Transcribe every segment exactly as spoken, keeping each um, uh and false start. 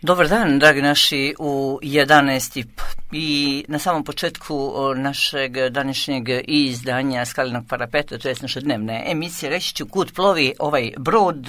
Dobar dan, dragi naši, u jedanaest i na samom početku našeg današnjeg izdanja Skalinog parapeta, to je naše dnevne emisije, reći ću kud plovi ovaj brod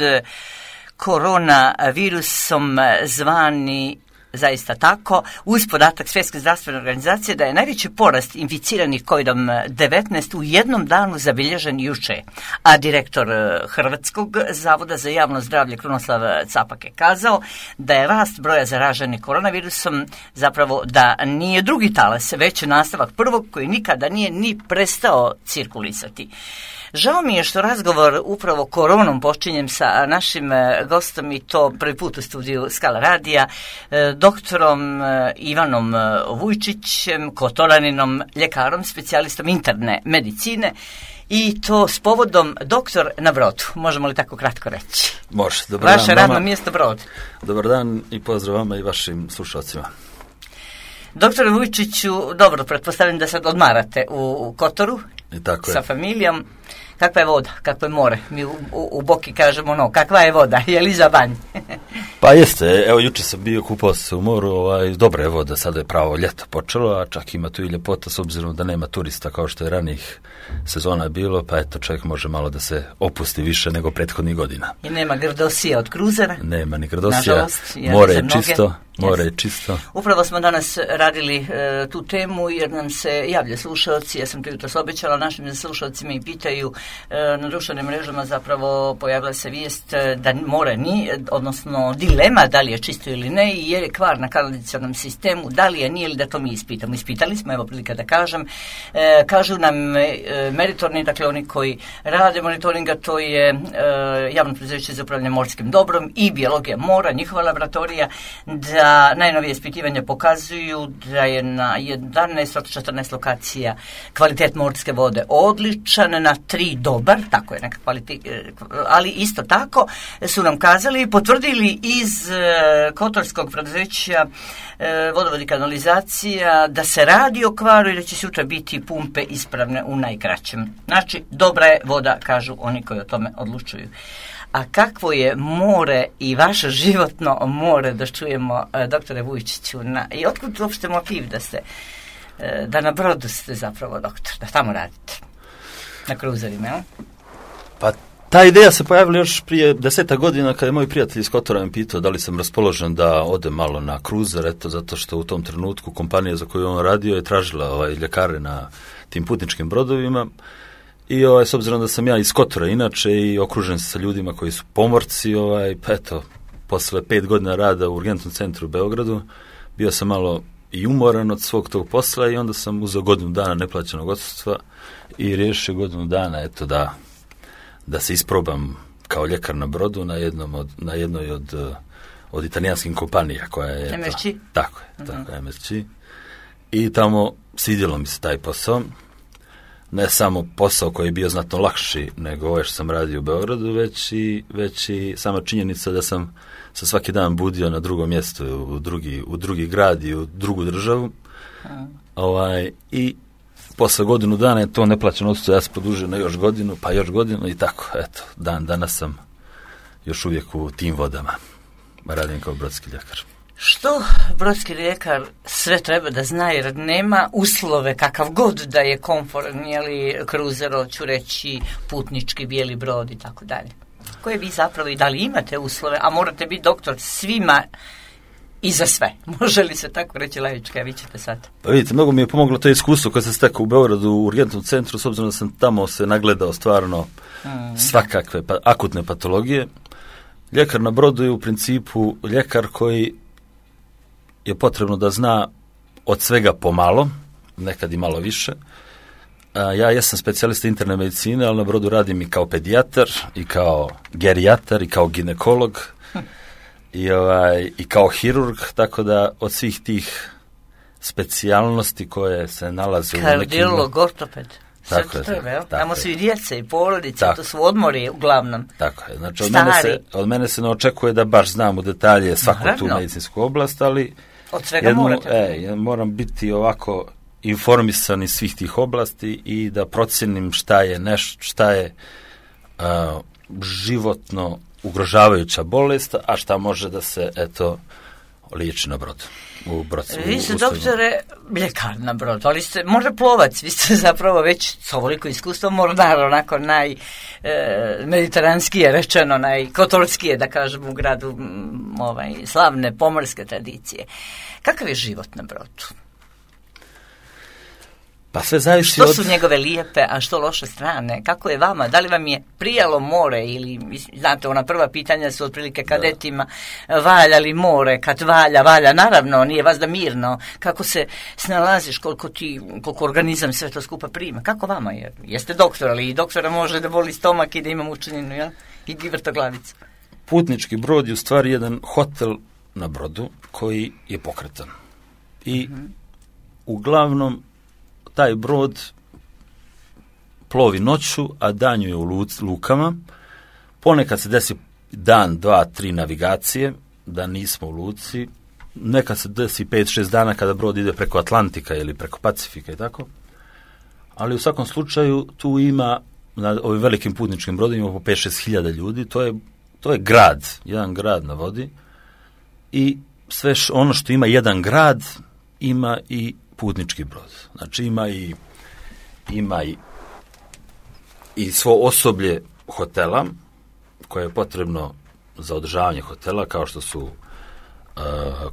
koronavirusom zvani zaista tako, uz podatak Svjetske zdravstvene organizacije da je najveći porast inficiranih kovidom devetnaest u jednom danu zabilježen juče. A direktor Hrvatskog zavoda za javno zdravlje Krunoslav Capak je kazao da je rast broja zaraženih koronavirusom zapravo da nije drugi talas, već nastavak prvog koji nikada nije ni prestao cirkulisati. Žao mi je što razgovor upravo koronom počinjem sa našim gostom i to prvi put u studiju Skala radija, doktorom Ivanom Vujčićem, Kotoraninom, ljekarom, specijalistom interne medicine i to s povodom doktor na brodu. Možemo li tako kratko reći? Može. Dobar dan. Vaše radno mjesto brod. Dobar dan i pozdrav vama i vašim slušalcima. Doktore Vujčiću, dobro, pretpostavljam da sad odmarate u, u Kotoru I tako sa je. familijom. Kakva je voda, kakvo je more? Mi u, u, u Boki kažemo no, kakva je voda, je li za banj? Pa jeste, evo juče sam bio, kupao se u moru, ovaj, dobra je voda, sada je pravo ljeto počelo, a čak ima tu i ljepota s obzirom da nema turista kao što je ranijih sezona bilo, pa eto čovjek može malo da se opusti više nego prethodnih godina. I nema grdosija od kruzera? Nema ni grdosija, nažalost, more je čisto. More je čisto. Upravo smo danas radili e, tu temu jer nam se javlja slušalci, ja sam to jutros obećala našim slušalcima i pitaju e, na društvenim mrežama zapravo pojavila se vijest da more nije, odnosno dilema da li je čisto ili ne i jer je kvar na kanalizacionom sistemu, da li je nije ili da to mi ispitamo. Ispitali smo, evo prilika da kažem, e, kažu nam e, meritorni, dakle oni koji rade monitoringa, to je e, javno preduzeće za upravljanje morskim dobrom i biologija mora, njihova laboratorija, da Da najnovije ispitivanja pokazuju da je na jedanaest od četrnaest lokacija kvalitet morske vode odličan, na tri dobar, tako je neka kvalitet, ali isto tako su nam kazali i potvrdili iz kotorskog preduzeća vodovod i kanalizacija da se radi o kvaru i da će sutra biti pumpe ispravne u najkraćem. Znači, dobra je voda, kažu oni koji o tome odlučuju. A kakvo je more i vaše životno more, da čujemo, doktore Vujčiću, na, i otkud uopšte motiv da ste, da na brodu ste zapravo doktor, da tamo radite, na kruzerima, jel? Pa ta ideja se pojavila još prije deseta godina kada je moj prijatelj iz Kotora mi pitao da li sam raspoložen da odem malo na kruzer, eto, zato što u tom trenutku kompanija za koju on radio je tražila ovaj, ljekare na tim putničkim brodovima. I ovaj, s obzirom da sam ja iz Kotora inače i okružen sa ljudima koji su pomorci, ovaj, pa eto, posle pet godina rada u urgentnom centru u Beogradu, bio sam malo i umoran od svog tog posla i onda sam uzeo godinu dana neplaćenog odsustva i riješio godinu dana, eto, da, da se isprobam kao ljekar na brodu na, jednom od, na jednoj od, od italijanskih kompanija koja je... em es đê? Tako je, uh-huh. tako je, em es đê. I tamo svidjelo mi se taj posao. Ne samo posao koji je bio znatno lakši nego ovo što sam radio u Beogradu, već i, već i sama činjenica da sam se svaki dan budio na drugom mjestu, u drugi, u drugi grad i u drugu državu. Hmm. Ovaj, I posle godinu dana je to neplaćeno odsustvo, ja se produžio na još godinu, pa još godinu i tako. Eto, dan danas sam još uvijek u tim vodama. Radim kao brodski ljekar. Što brodski ljekar sve treba da zna jer nema uslove kakav god da je komforan, jeli kruzer, ću reći putnički bijeli brod i tako dalje. Koje vi zapravo i da li imate uslove, a morate biti doktor svima i za sve. Može li se tako reći laički, a vi ćete sad? Pa vidite, mnogo mi je pomoglo to iskustvo koje sam stekao u Beogradu u urgentnom centru, s obzirom da sam tamo se nagledao stvarno mm. svakakve pa, akutne patologije. Ljekar na brodu je u principu ljekar koji je potrebno da zna od svega pomalo, nekad i malo više. A, ja jesam specijalista interne medicine, ali na brodu radim i kao pedijatar, i kao gerijatar, i kao ginekolog, hm. i, ovaj, i kao hirurg, tako da od svih tih specijalnosti koje se nalaze u nekim... Kardiolog, ortoped. Tako je, treba, tako, tamo su i djece i porodice, tako. To su odmori uglavnom. Tako je, znači od mene, se, od mene se ne očekuje da baš znam u detalje svaku Naravno. tu medicinsku oblast, ali od svega jednu, morate. E, moram biti ovako informisan iz svih tih oblasti i da procenim šta je nešto, šta je uh, životno ugrožavajuća bolest, a šta može da se, eto, liječi na brodu. U brodu vi ste, doktore, ljekar na brodu, ali ste možda plovac, vi ste zapravo već s ovoliko iskustvo mornar, onako najmediteranskije e, rečeno, najkotolskije, da kažem, u gradu m, ovaj, slavne pomorske tradicije. Kakav je život na brodu? Pa sve zavisi što od... su njegove lijepe, a što loše strane? Kako je vama? Da li vam je prijalo more ili, znate, ona prva pitanja su otprilike kadetima, da. Valja li more? Kad valja, valja, naravno, nije vas da mirno. Kako se snalaziš, koliko ti, koliko organizam sve to skupa prima? Kako vama je? Jeste doktor, ali i doktora može da boli stomak i da ima mučeninu, jel? I vrtoglavicu. Putnički brod je u stvari jedan hotel na brodu koji je pokretan. I mm-hmm. uglavnom taj brod plovi noću, a danju je u luc, lukama. Ponekad se desi dan, dva, tri navigacije, da nismo u luci. Nekad se desi pet, šest dana kada brod ide preko Atlantika ili preko Pacifika i tako. Ali u svakom slučaju tu ima, na ovim velikim putničkim brodima, po pet, šest hiljada ljudi. To je, to je grad, jedan grad na vodi. I sve š, ono što ima jedan grad, ima i putnički brod. Znači ima i ima i, i svo osoblje hotela koje je potrebno za održavanje hotela, kao što su uh,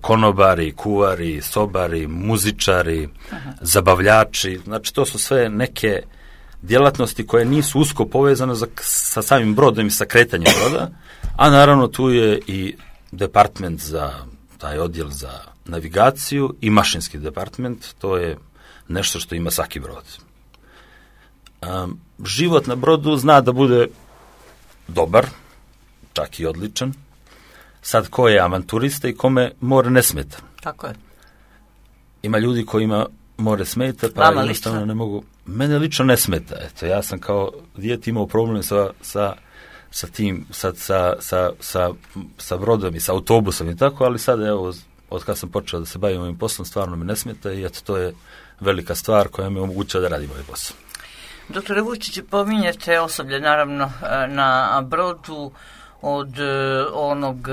konobari, kuvari, sobari, muzičari, aha. zabavljači. Znači to su sve neke djelatnosti koje nisu usko povezane za, sa samim brodom i sa kretanjem broda, a naravno tu je i department za taj odjel za navigaciju i mašinski department, to je nešto što ima svaki brod. Um, život na brodu zna da bude dobar, čak i odličan. Sad ko je avanturista i kome more ne smeta. Tako je. Ima ljudi kojima more smeta, pa Vama jednostavno lično? ne mogu. Mene lično ne smeta. Eto, ja sam kao dijete imao problem sa, sa sa tim, sa, sa, sa, sa, sa brodom i sa autobusom i tako, ali sada evo, od kada sam počeo da se bavim ovim poslom, stvarno mi ne smeta i eto, to je velika stvar koja mi omogućava da radim ovaj posao. Doktore Vučić, pominjete osoblje, naravno, na brodu od onog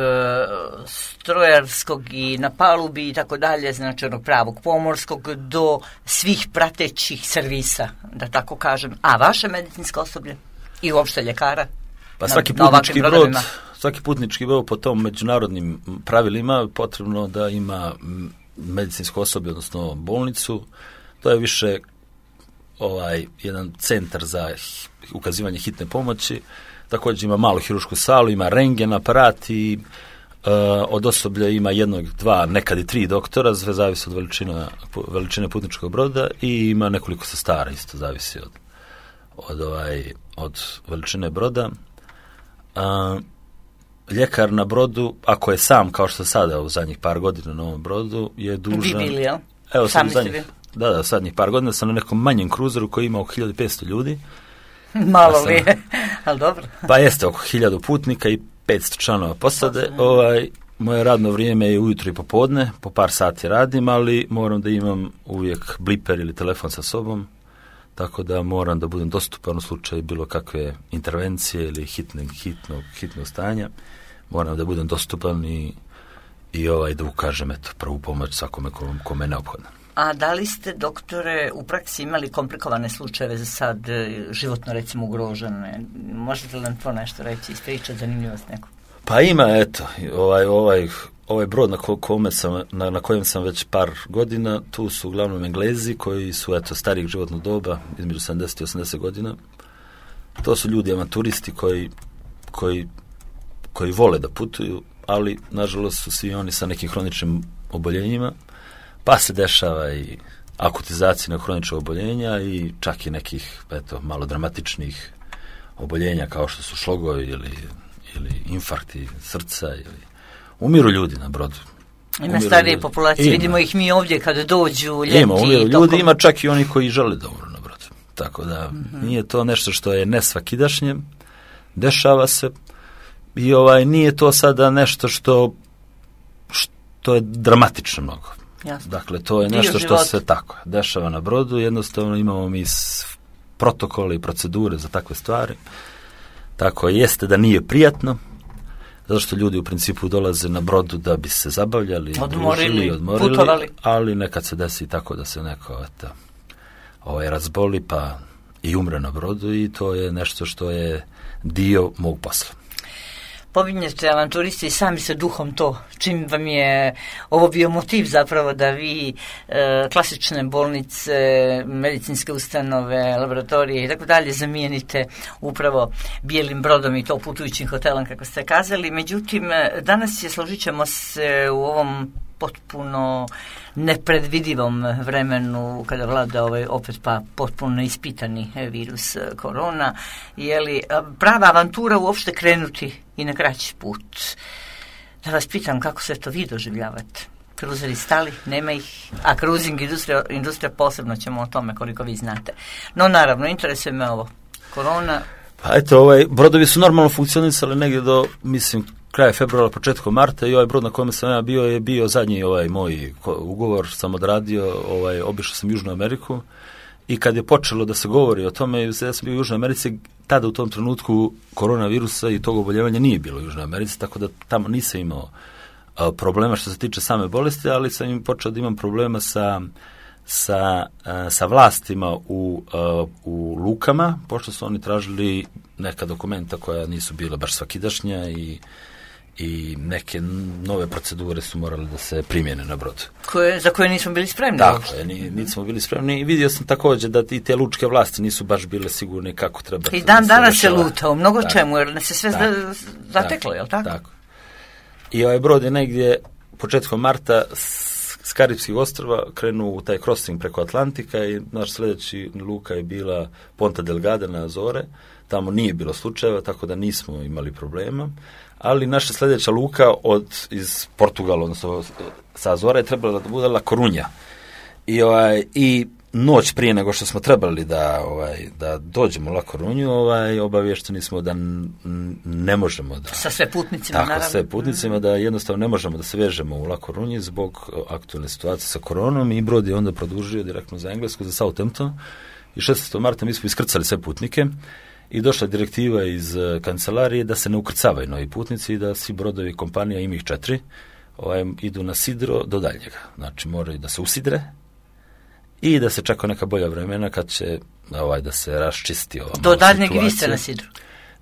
strojarskog i na palubi i tako dalje, znači onog pravog pomorskog, do svih pratećih servisa, da tako kažem. A vaše medicinsko osoblje i uopšte ljekara? Pa svaki putnički brod, svaki putnički brod po tom međunarodnim pravilima potrebno da ima medicinsko osoblje, odnosno bolnicu. To je više ovaj jedan centar za ukazivanje hitne pomoći. Također ima malu hirušku salu, ima rentgen aparat i uh, od osoblja ima jednog, dva, nekad i tri doktora, sve zavisi od veličine, veličine putničkog broda i ima nekoliko sestara, isto zavisi od, od, ovaj, od veličine broda. Uh, ljekar na brodu, ako je sam, kao što sada u zadnjih par godina na ovom brodu, je dužan... Vi bili, jel? Evo, sam zadnjih, da, da, zadnjih par godina sam na nekom manjem kruzeru koji ima oko hiljadu petsto ljudi. Malo sam, li je, ali dobro. Pa jeste, oko hiljadu putnika i petsto članova posade. Ovaj, moje radno vrijeme je ujutro i popodne, po par sati radim, ali moram da imam uvijek bliper ili telefon sa sobom, tako da moram da budem dostupan u slučaju bilo kakve intervencije ili hitne, hitnog, hitnog stanja. Moram da budem dostupan i, i ovaj, da ukažem eto, prvu pomoć svakome kome je neophodno. A da li ste, doktore, u praksi imali komplikovane slučajeve za sad, životno recimo ugrožene? Možete li nam to nešto reći, ispričati, zanimljivost neku? Pa ima, eto, ovaj, ovaj, ovaj brod na, kome sam, na, na kojem sam već par godina, tu su uglavnom Englezi koji su, eto, starijeg životnog doba, između sedamdeset i osamdeset godina. To su ljudi avanturisti koji, koji, koji vole da putuju, ali, nažalost, su svi oni sa nekim hroničnim oboljenjima, pa se dešava i akutizacija na hronična oboljenja i čak i nekih, eto, malo dramatičnih oboljenja kao što su šlogovi ili, ili infarkti srca ili umiru ljudi na brodu. Ima umiru starije ljudi. populacije, ima. Vidimo ih mi ovdje kada dođu ljeti. Ima, umiru tokom... ljudi, ima čak i oni koji žele da umru na brodu. Tako da mm-hmm. nije to nešto što je nesvakidašnje, dešava se i ovaj nije to sada nešto što, što je dramatično mnogo. Jasno. Dakle, to je nešto što se tako dešava na brodu, jednostavno imamo mi protokole i procedure za takve stvari. Tako jeste da nije prijatno zato što ljudi u principu dolaze na brodu da bi se zabavljali, odmorili, družili, odmorili, putovali. Ali nekad se desi tako da se neko eto, ovaj, razboli pa i umre na brodu i to je nešto što je dio mog posla. Pominjete avanturisti i sami se duhom to, čim vam je ovo bio motiv zapravo da vi e, klasične bolnice, medicinske ustanove, laboratorije i tako dalje zamijenite upravo bijelim brodom i to putujućim hotelom kako ste kazali. Međutim, danas je, složit ćemo se, u ovom potpuno nepredvidivom vremenu kada vlada ovaj opet pa potpuno ispitani virus korona, je li prava avantura uopšte krenuti i na kraći put? Da vas pitam kako se to vi doživljavate? Kruzeri stali, nema ih, a cruising industrija, industrija posebno ćemo o tome koliko vi znate. No naravno, interesuje me ovo. Korona... Pa eto, ovaj, brodovi su normalno funkcionisali negdje do, mislim, kraja februara, početkom marta i ovaj brod na kojem sam ja bio je bio zadnji ovaj moj ugovor, sam odradio, ovaj, obišao sam Južnu Ameriku i kad je počelo da se govori o tome, ja sam bio u Južnoj Americi, tada u tom trenutku koronavirusa i tog oboljevanja nije bilo u Južnoj Americi, tako da tamo nisam imao a, problema što se tiče same bolesti, ali sam im počeo da imam problema sa sa, a, sa vlastima u, a, u lukama, pošto su oni tražili neka dokumenta koja nisu bila baš svakidašnja i i neke nove procedure su morale da se primjene na brodu. Koje, za koje nismo bili spremni. Tako je, nismo bili spremni i vidio sam također da i te lučke vlasti nisu baš bile sigurne kako treba. I dan danas se luta u mnogo tako, čemu, jer ne se sve tako, zateklo, je li tako? Tako. I ovaj brod je negdje početkom marta s Karibskih ostrva krenuo u taj crossing preko Atlantika i naš sljedeći luka je bila Ponta Delgada na Azore. Tamo nije bilo slučajeva, tako da nismo imali problema. Ali naša sljedeća luka od, iz Portugala, odnosno sa Azora, je trebala da bude La Coruña. I, ovaj, i noć prije nego što smo trebali da, ovaj, da dođemo u La Coruñu, ovaj, obavješteni smo da n, ne možemo da... Sa sve putnicima, tako, naravno. sve putnicima, mm. da jednostavno ne možemo da se vežemo u La Coruñi zbog aktualne situacije sa koronom i brod je onda produžio direktno za Englesku, za Southampton. I šesnaestog marta mi smo iskrcali sve putnike. I došla direktiva iz uh, kancelarije da se ne ukrcavaju novi putnici i da svi brodovi kompanija, ima ih četiri, ovaj, idu na sidro do daljnjega. Znači moraju da se usidre i da se čeka neka bolja vremena kad će ovaj, da se raščisti ova do daljnjeg vi ste na sidru.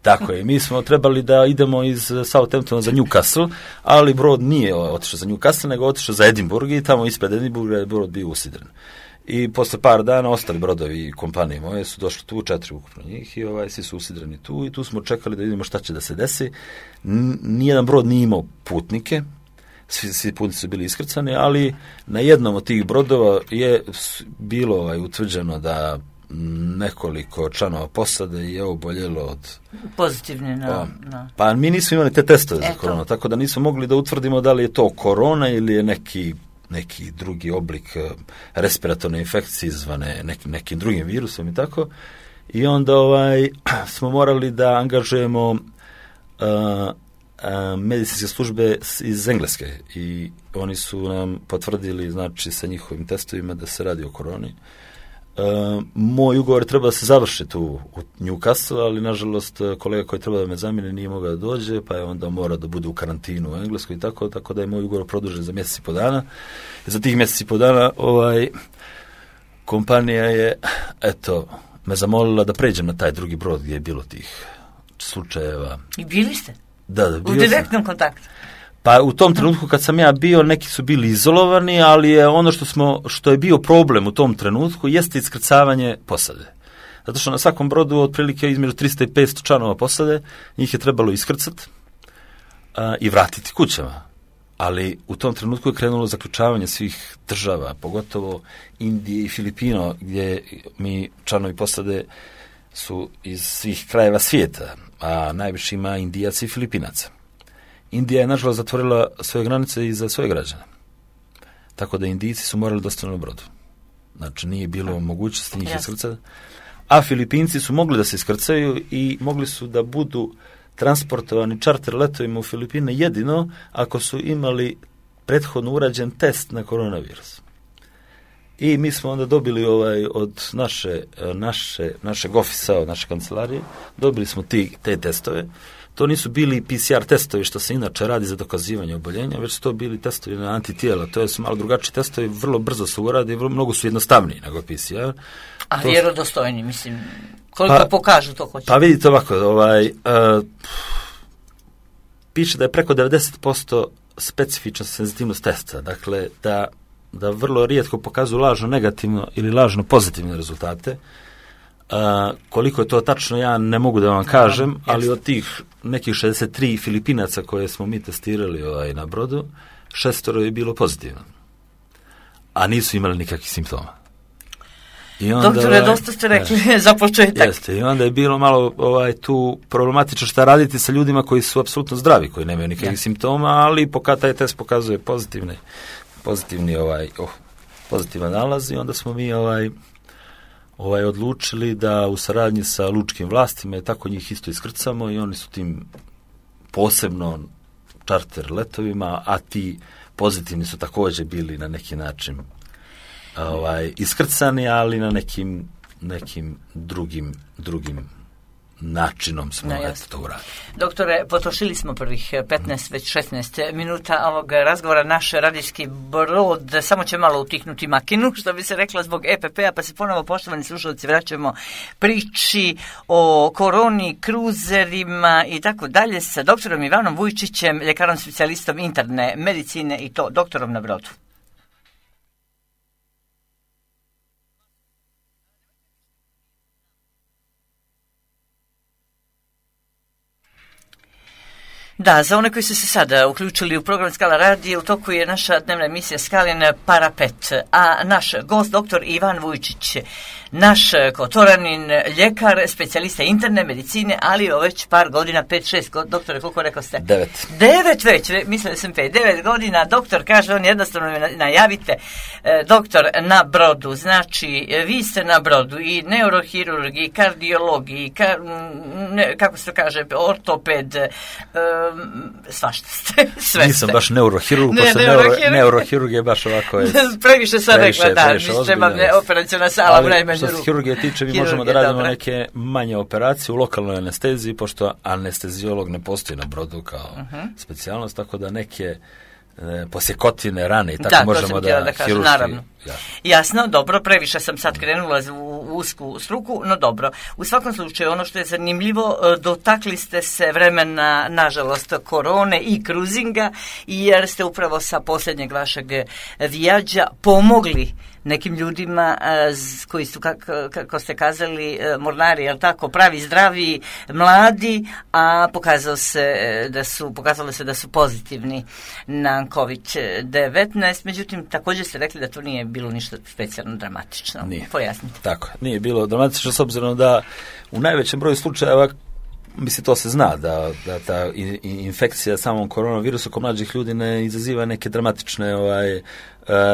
Tako je, mi smo trebali da idemo iz Southamptona za Newcastle, ali brod nije otišao za Newcastle, nego otišao za Edinburgh i tamo ispred Edinburgha je brod bio usidren. I posle par dana ostali brodovi i kompanije moje su došli tu, četiri ukupno njih i ovaj, svi su usidreni tu i tu smo čekali da vidimo šta će da se desi. Nijedan brod nije imao putnike, svi, svi putnici su bili iskrcani, ali na jednom od tih brodova je bilo ovaj, utvrđeno da nekoliko članova posade je oboljelo od... Pozitivne, na, pa, na. Pa mi nismo imali te testove za koronu, tako da nismo mogli da utvrdimo da li je to korona ili je neki neki drugi oblik respiratorne infekcije izvane nekim, nekim drugim virusom i tako. I onda ovaj, smo morali da angažujemo uh, uh, medicinske službe iz Engleske i oni su nam potvrdili, znači, sa njihovim testovima da se radi o koroni. Uh, moj ugovor treba da se završi tu u Newcastle, ali nažalost kolega koji treba da me zamijeni nije mogao da dođe, pa je onda mora da bude u karantinu u Engleskoj i tako, tako da je moj ugovor produžen za mjesec i po dana. I za tih mjesec i po dana ovaj, kompanija je, eto, me zamolila da pređem na taj drugi brod gdje je bilo tih slučajeva. I bili ste? Da, da, bio u direktnom sam. kontaktu? Pa u tom trenutku kad sam ja bio, neki su bili izolovani, ali je ono što smo što je bio problem u tom trenutku jeste iskrcavanje posade. Zato što na svakom brodu otprilike između tristo i petsto članova posade, njih je trebalo iskrcati a, i vratiti kućama. Ali u tom trenutku je krenulo zaključavanje svih država, pogotovo Indije i Filipino, gdje mi članovi posade su iz svih krajeva svijeta, a najviše ima Indijaca i Filipinaca. Indija je nažalost zatvorila svoje granice i za svoje građane. Tako da Indijci su morali da ostanu na brodu. Znači nije bilo mogućnosti njih iskrcati. A Filipinci su mogli da se iskrcaju i mogli su da budu transportovani čarter letovima u Filipine jedino ako su imali prethodno urađen test na koronavirus. I mi smo onda dobili ovaj od naše, naše, našeg ofisa, od naše kancelarije, dobili smo ti, te testove. to nisu bili P C R testovi što se inače radi za dokazivanje oboljenja, već su to bili testovi na antitijela. To su malo drugačiji testovi, vrlo brzo se uradi, vrlo, mnogo su jednostavniji nego P C R. A to vjerodostojni, mislim, koliko pa, pokažu to hoće? Pa vidite ovako, ovaj, uh, piše da je preko devedeset posto specifična senzitivnost testa, dakle da, da vrlo rijetko pokazuju lažno negativno ili lažno pozitivne rezultate. Uh, koliko je to tačno, ja ne mogu da vam kažem, no, ali od tih nekih šezdeset tri Filipinaca koje smo mi testirali ovaj, na brodu, šestoro je bilo pozitivno, a nisu imali nikakvih simptoma. I onda, doktore, ovaj, dosta ste rekli je, za početak. Jeste, i onda je bilo malo ovaj, tu problematično šta raditi sa ljudima koji su apsolutno zdravi, koji nemaju nikakvih ja. simptoma, ali poka taj test pokazuje pozitivne, pozitivni ovaj, oh, pozitivan nalaz i onda smo mi ovaj, ovaj, odlučili da u saradnji sa lučkim vlastima i tako njih isto iskrcamo i oni su tim posebno čarter letovima, a ti pozitivni su također bili na neki način ovaj, iskrcani, ali na nekim, nekim drugim, drugim načinom smo no, eto to uradili. Doktore, potrošili smo prvih petnaest, već šesnaest minuta ovog razgovora. Naš radijski brod samo će malo utihnuti makinu, što bi se reklo zbog E P P-a, pa se ponovo, poštovani slušalci, vraćamo priči o koroni, kruzerima i tako dalje sa doktorom Ivanom Vujčićem, ljekarom specijalistom interne medicine i to doktorom na brodu. Da, za one koji su se sada uključili u program Skala radija, u toku je naša dnevna emisija Skalin Parapet, a naš gost, doktor Ivan Vujčić, naš Kotoranin, ljekar, specijalista interne medicine, ali već par godina, pet, šest, doktore, koliko rekao ste? Devet. Devet već, mislili sam pet, devet godina, doktor kaže, on jednostavno najavite, doktor na brodu, znači, vi ste na brodu i neurohirurg, i kardiolog, i kar, ne, kako se to kaže, ortoped, svašta ste, sve Nisam ste. baš neurohirurg, ne, pošto neurohirurg. Neuro, neurohirurg je baš ovako je... previše sam rekla, da, mi treba operacijona sala, vremenu. Što se hirurgije tiče, mi možemo da radimo dobra. neke manje operacije u lokalnoj anesteziji, pošto anesteziolog ne postoji na brodu kao uh-huh. specijalnost, tako da neke e, posjekotine, rane i tako da, možemo da, da hiruški... Naravno. Ja. Jasno, dobro, previše sam sad krenula u, u usku struku, no dobro. U svakom slučaju, ono što je zanimljivo, dotakli ste se vremena, nažalost, korone i kruzinga, jer ste upravo sa posljednjeg vašeg vijađa pomogli nekim ljudima koji su, kako, kako ste kazali, mornari, jel tako, pravi, zdravi, mladi, a pokazalo se da su, pokazalo se da su pozitivni na kovid devetnaest, međutim, također ste rekli da to nije bilo ništa specijalno dramatično. Nije. Pojasnite. Tako, nije bilo dramatično s obzirom da u najvećem broju slučajeva, mislim, to se zna, da, da ta infekcija samom koronavirusu kod mlađih ljudi ne izaziva neke dramatične ovaj, uh,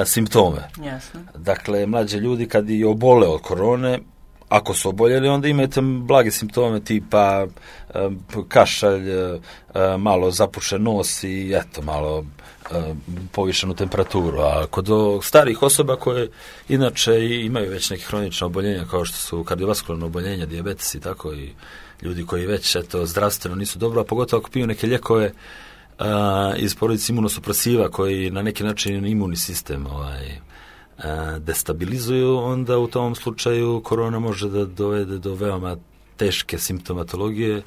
simptome. Jasno. Dakle, mlađi ljudi kad i obole od korone, ako su oboljeli, onda imate blage simptome tipa um, kašalj, uh, malo zapušen nos i eto, malo uh, povišenu temperaturu. A kod starih osoba koje inače imaju već neke hronične oboljenja, kao što su kardiovaskularne oboljenja, dijabetes i tako, i ljudi koji već eto, zdravstveno nisu dobro, a pogotovo ako piju neke lijekove uh, iz porodice imunosupresiva koji na neki način imunni sistem ovaj, uh, destabilizuju, onda u tom slučaju korona može da dovede do veoma teške simptomatologije, uh,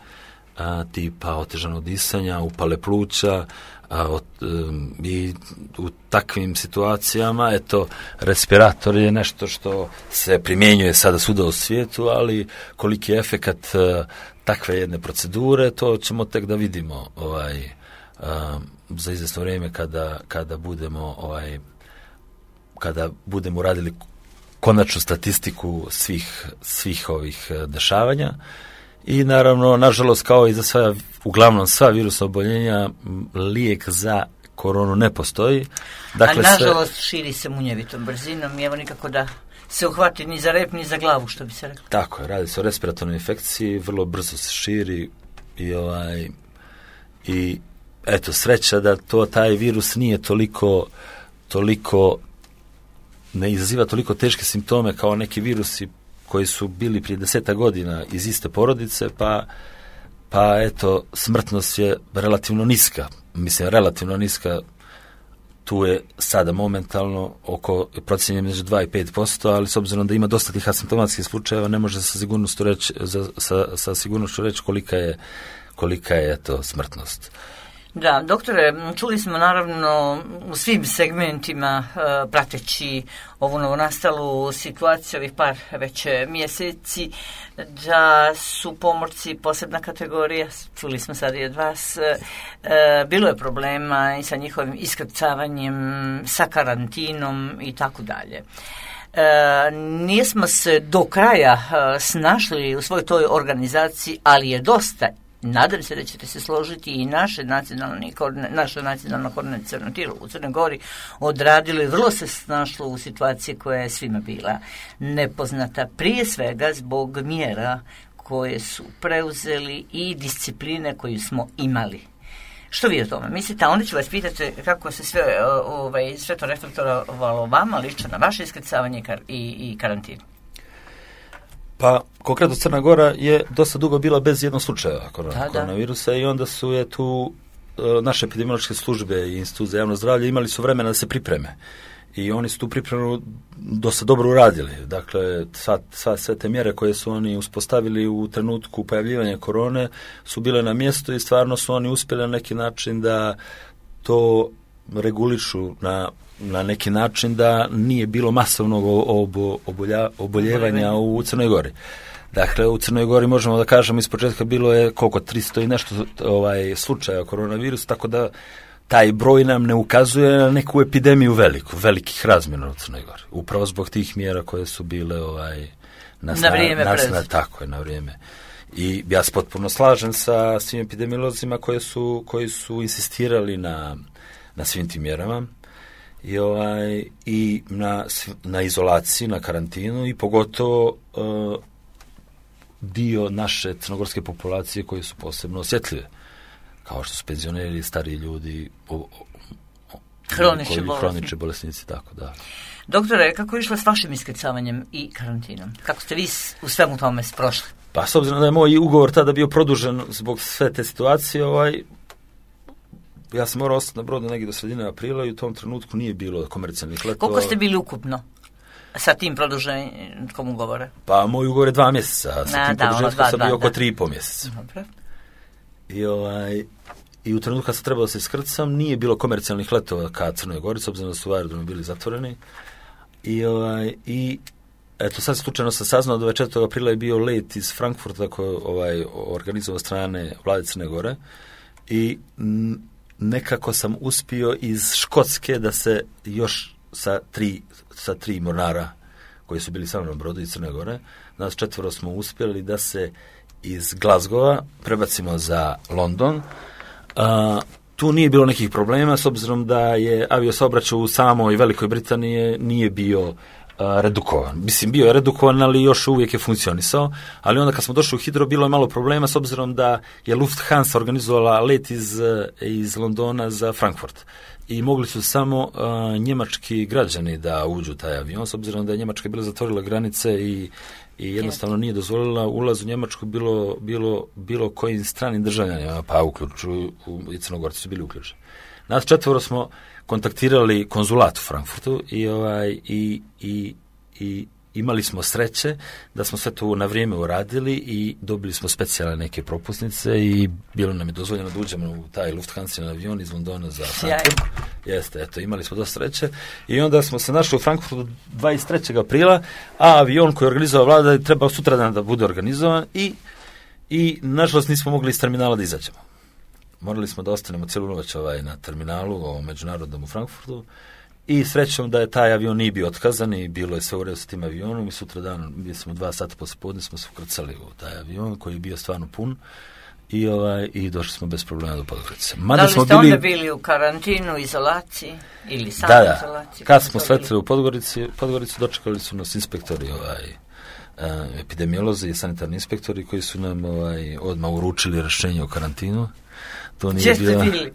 tipa otežanog disanja, upale pluća, a, od, um, i u takvim situacijama eto, respirator je nešto što se primjenjuje sada svuda u svijetu, ali koliki je efekat uh, takve jedne procedure, to ćemo tek da vidimo ovaj, uh, za izvjesno vrijeme kada, kada budemo ovaj, kada budemo radili konačnu statistiku svih, svih ovih dešavanja. I naravno, nažalost, kao i za sva, uglavnom sva virusna oboljenja, lijek za koronu ne postoji. Dakle, a nažalost sve... širi se munjevitom brzinom i evo nikako da se uhvati ni za rep, ni za glavu, što bi se reklo. Tako je, radi se o respiratornoj infekciji, vrlo brzo se širi i ovaj i eto, sreća da to taj virus nije toliko toliko ne izaziva toliko teške simptome kao neki virusi koji su bili prije deseta godina iz iste porodice, pa, pa eto, smrtnost je relativno niska. Mislim, relativno niska, tu je sada momentalno oko procjenje među dva i pet posto, ali s obzirom da ima dosta tih asimptomatskih slučajeva, ne može sa sigurnošću reći, za, sa, sa sigurnošću reći kolika je, kolika je eto, smrtnost. Da, doktore, čuli smo naravno u svim segmentima e, prateći ovu novonastalu situaciju ovih par već mjeseci da su pomorci posebna kategorija, čuli smo sad i od vas, e, bilo je problema i sa njihovim iskrcavanjem, sa karantinom i tako dalje. E, nismo se do kraja e, snašli u svojoj toj organizaciji, ali je dosta. Nadam se da ćete se složiti i naše nacionalno, naše nacionalno koordinaciono tijelo u Crnoj Gori odradili, vrlo se snašlo u situaciji koja je svima bila nepoznata, prije svega zbog mjera koje su preuzeli i discipline koju smo imali. Što vi o tome mislite? A onda ću vas pitati kako se sve, ovaj, sve to reflektovalo vama, lično na vaše iskrcavanje i, i karantinu. Pa, konkretno Crna Gora je dosta dugo bila bez jednog slučaja korona, koronavirusa i onda su je tu e, naše epidemiološke službe i Institut za javno zdravlje imali su vremena da se pripreme. I oni su tu pripremu dosta dobro uradili. Dakle, sva, sva, sve te mjere koje su oni uspostavili u trenutku pojavljivanja korone su bile na mjestu i stvarno su oni uspjeli na neki način da to regulišu na na neki način da nije bilo masovnog obo, obolja, oboljevanja u Crnoj Gori. Dakle, u Crnoj Gori možemo da kažemo iz početka bilo je koliko tristo i nešto ovaj, slučaja koronavirusa, tako da taj broj nam ne ukazuje na neku epidemiju veliku, velikih razmjera u Crnoj Gori. Upravo zbog tih mjera koje su bile ovaj, nas, na vrijeme. Nas, nas, tako je, na vrijeme. I ja se potpuno slažem sa svim epidemiolozima koji su, koji su insistirali na, na svim tim mjerama. I, ovaj, i na, na izolaciji, na karantinu i pogotovo uh, dio naše crnogorske populacije koji su posebno osjetljive, kao što su penzioneri, stariji ljudi, o, o, o, hronični bolesnici. bolesnici, tako da. Doktore, kako je išlo s vašim iskrcavanjem i karantinom? Kako ste vi u svemu tome prošli? Pa, s obzirom da je moj ugovor tada bio produžen zbog sve te situacije, ovaj, ja sam morao ostati na brodu negdje do sredine aprila i u tom trenutku nije bilo komercijalnih letova. Koliko ste bili ukupno sa tim produženjem ugovora? Pa moj ugovor je dva mjeseca, a sa Na, tim da, produženjem ono, sam da, bio oko da. tri i po mjeseca. Dobro. I, ovaj, I u trenutku kad sam trebao da se iskrcam, nije bilo komercijalnih letova ka Crnoj Gori, s obzirom da su aerodromi bili zatvoreni. I, ovaj, i eto, sad slučajno sam saznao da dvadeset aprila je bio let iz Frankfurta koji ovaj, organizovao strane vlade Crne Gore i m, nekako sam uspio iz Škotske da se još sa tri, sa tri mornara koji su bili sa mnom na brodu iz Crne Gore, nas četvoro smo uspjeli da se iz Glasgowa prebacimo za London. A, tu nije bilo nekih problema s obzirom da je aviosaobraćaj u samoj Velikoj Britaniji nije bio a, redukovan. Mislim, bio je redukovan, ali još uvijek je funkcionisao, ali onda kad smo došli u Hidro bilo je malo problema s obzirom da je Lufthansa organizovala let iz, iz Londona za Frankfurt. I mogli su samo uh, njemački građani da uđu u taj avion, s obzirom da je Njemačka bila zatvorila granice i, i jednostavno nije dozvolila ulaz u Njemačku bilo, bilo, bilo kojim stranim državljanima, pa uključuju, i Crnogorci su bili uključeni. Nas četvoro smo kontaktirali konzulat u Frankfurtu i, ovaj, i, i, i imali smo sreće da smo sve to na vrijeme uradili i dobili smo specijalne neke propusnice i bilo nam je dozvoljeno da uđemo u taj Lufthansa avion iz Londona za Frankfurt. Jeste, eto, imali smo dosta sreće i onda smo se našli u Frankfurtu dvadeset trećeg aprila, a avion koji je organizovao vlada je trebao sutradan da bude organizovan i, i nažalost nismo mogli iz terminala da izađemo. Morali smo da ostanemo cijelu noć ovaj, na terminalu, ovom međunarodnom u Frankfurtu. I srećom da je taj avion nije bio otkazan i bilo je sve u redu s tim avionom i sutra dan, bili smo dva sata posle podne, smo se ukrcali u taj avion koji je bio stvarno pun i, ovaj, i došli smo bez problema do Podgorice. Mada da li ste bili... onda bili u karantinu, izolaciji ili samo da, da. izolaciji? Kad smo sletili u Podgorici, Podgoricu dočekali su nas inspektori, ovaj, uh, epidemiolozi i sanitarni inspektori koji su nam ovaj, odmah uručili rješenje o karantinu. To nije Gdje bila... ste bili?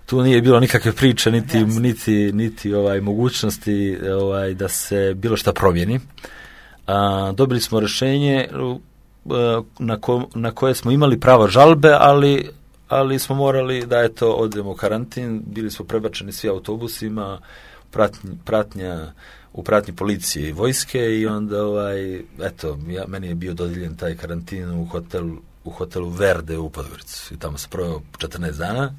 Tu nije bilo nikakve priče, niti, yes. niti, niti ovaj, mogućnosti ovaj, da se bilo šta promijeni. A, dobili smo rješenje na, ko, na koje smo imali pravo žalbe, ali, ali smo morali da eto odemo u karantin, bili smo prebačeni svi autobusima, pratnja, pratnja u pratnji policije i vojske i onda ovaj, eto, ja, meni je bio dodijeljen taj karantin u hotelu, u hotelu Verde u Podgorici i tamo se proveo četrnaest dana.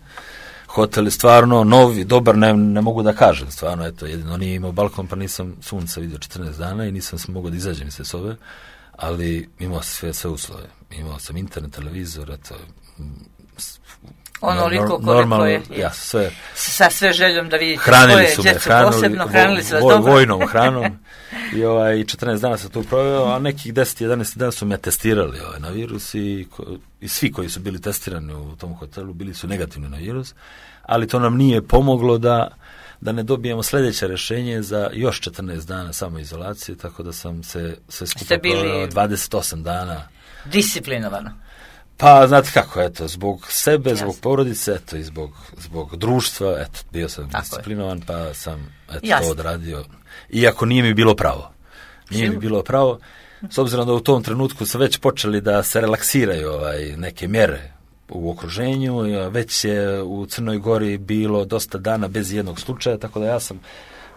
Hotel je stvarno novi, dobar, ne, ne mogu da kažem, stvarno, eto, jedino nije imao balkon, pa nisam sunca vidio četrnaest dana i nisam se mogao da izađem iz te sobe, ali imao sam sve, sve uslove. Imao sam internet, televizor, eto, onoliko koliko normalno, je, ja, sve, sa sve željom da vidite hranili su me, hranili, posebno, hranili su vas vo, dobro. Vojnom hranom i ovaj, četrnaest dana sam tu proveo, a nekih deset jedanaest dana su me testirali ovaj, na virus i, i svi koji su bili testirani u tom hotelu bili su negativni na virus, ali to nam nije pomoglo da, da ne dobijemo sljedeće rješenje za još četrnaest dana samoizolacije, tako da sam se sve skupa proveo dvadeset osam dana. Disciplinovano. Pa, znate kako, eto, zbog sebe, Jasne. zbog porodice, eto, i zbog, zbog društva, eto, bio sam tako disciplinovan, je. Pa sam, eto, Jasne. to odradio. Iako nije mi bilo pravo. Nije Sigur. mi bilo pravo, s obzirom da u tom trenutku su već počeli da se relaksiraju ovaj, neke mjere u okruženju, već je u Crnoj Gori bilo dosta dana bez jednog slučaja, tako da ja sam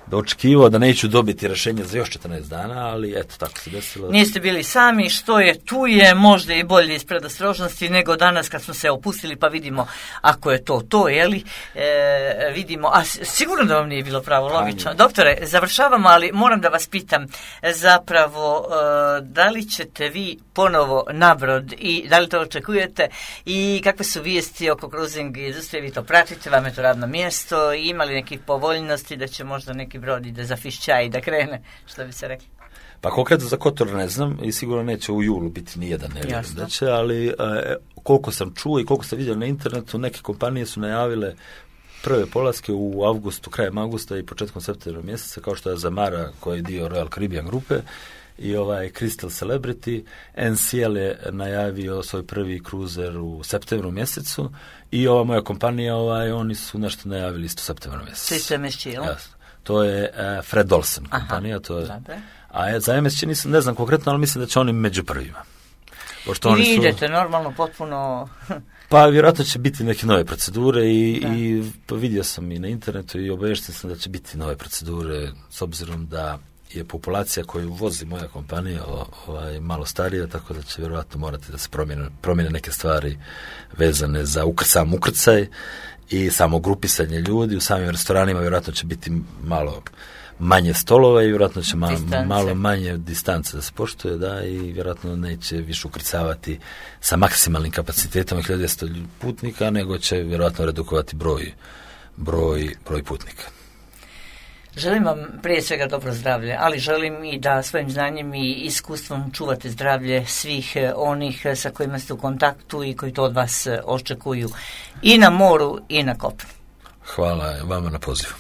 da očekivao da neću dobiti rješenje za još četrnaest dana, ali eto, tako se desilo. Niste bili sami, što je tu je možda i bolje iz predostrožnosti nego danas kad smo se opustili pa vidimo ako je to to, jeli, e, vidimo, a sigurno da vam nije bilo pravo, logično. Doktore, završavamo, ali moram da vas pitam zapravo e, da li ćete vi ponovo na brod i da li to očekujete i kakve su vijesti oko cruising industrije, vi to pratite, vam je to radno mjesto i imali nekih povoljnosti da će možda neki brod ide za fišća i da krene, što bi se rekli? Pa konkretno za Kotor ne znam i sigurno neće u julu biti nijedan, ne vjerujem da će, ali e, koliko sam čuo i koliko sam vidio na internetu, neke kompanije su najavile prve polaske u avgustu, krajem avgusta i početkom septembra mjeseca, kao što je Zamara koji je dio Royal Caribbean grupe i ovaj Crystal Celebrity. N C L je najavio svoj prvi kruzer u septembru mjesecu i ova moja kompanija, ovaj, oni su nešto najavili isto septembra mjeseca. Svi su M S G, jel? To je uh, Fred Olsen kompanija. Aha, to je, a za M S G nisam, ne znam konkretno, ali mislim da će oni među prvima. Pošto I oni vi su, idete normalno, potpuno... Pa vjerojatno će biti neke nove procedure i, i pa vidio sam i na internetu i obavješten sam da će biti nove procedure s obzirom da je populacija koju vozi moja kompanija ovaj, malo starija, tako da će vjerojatno morati da se promijene, promijene neke stvari vezane za ukr, sam ukrcaj i samo grupisanje ljudi. U samim restoranima vjerojatno će biti malo manje stolova i vjerojatno će malo, malo manje distance da se poštuje, da, i vjerojatno neće više ukrcavati sa maksimalnim kapacitetom hiljadu dvjesto putnika, nego će vjerojatno redukovati broj, broj, broj putnika. Želim vam prije svega dobro zdravlje, ali želim i da svojim znanjem i iskustvom čuvate zdravlje svih onih sa kojima ste u kontaktu i koji to od vas očekuju i na moru i na kopnu. Hvala vama na pozivu.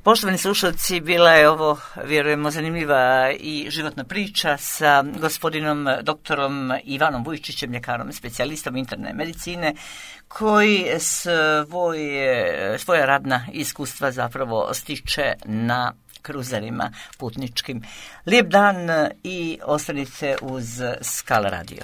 Poštovani slušalci, bila je ovo, vjerujemo, zanimljiva i životna priča sa gospodinom doktorom Ivanom Vujčićem, ljekarom, specijalistom interne medicine, koji svoje, svoja radna iskustva zapravo stiče na kruzerima putničkim. Lijep dan i ostanite uz Skala Radio.